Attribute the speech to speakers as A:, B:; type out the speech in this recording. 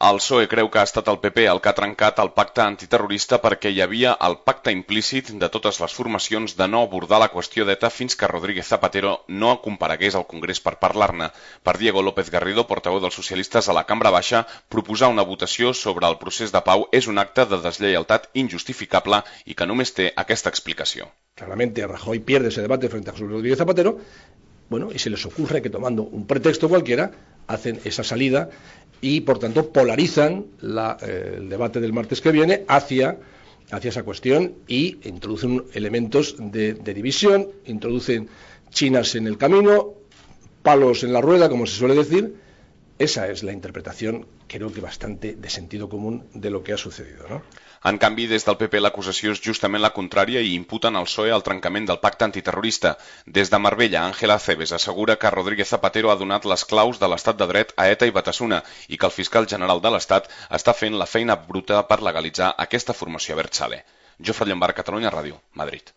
A: El PSOE creu que ha estat el PP el que ha trencat el pacte antiterrorista perquè hi havia el pacte implícit de totes les formacions de no abordar la qüestió d'ETA fins que Rodríguez Zapatero no comparegués al Congrés per parlar-ne. Per Diego López Garrido, portaveu dels socialistes a la Cambra Baixa, proposar una votació sobre el procés de pau és un acte de deslleialtat injustificable i que només té aquesta explicació.
B: Claramente Rajoy pierde ese debate frente a José Rodríguez Zapatero, bueno, y se les ocurre que tomando un pretexto cualquiera hacen esa salida y por tanto polarizan el debate del martes que viene hacia esa cuestión y introducen elementos de división, introducen chinas en el camino, palos en la rueda, como se suele decir. Esa es la interpretación, creo que bastante de sentido común de lo que ha sucedido, ¿no?
A: En canvi, des del PP l'acusació és justament la contrària i imputen al PSOE el trencament del pacte antiterrorista. Des de Marbella, Ángela Acebes assegura que Rodríguez Zapatero ha donat les claus de l'estat de dret a ETA i Batasuna i que el fiscal general de l'Estat està fent la feina bruta per legalitzar aquesta formació Abertzale. Jofre Llombard, Catalunya Ràdio, Madrid.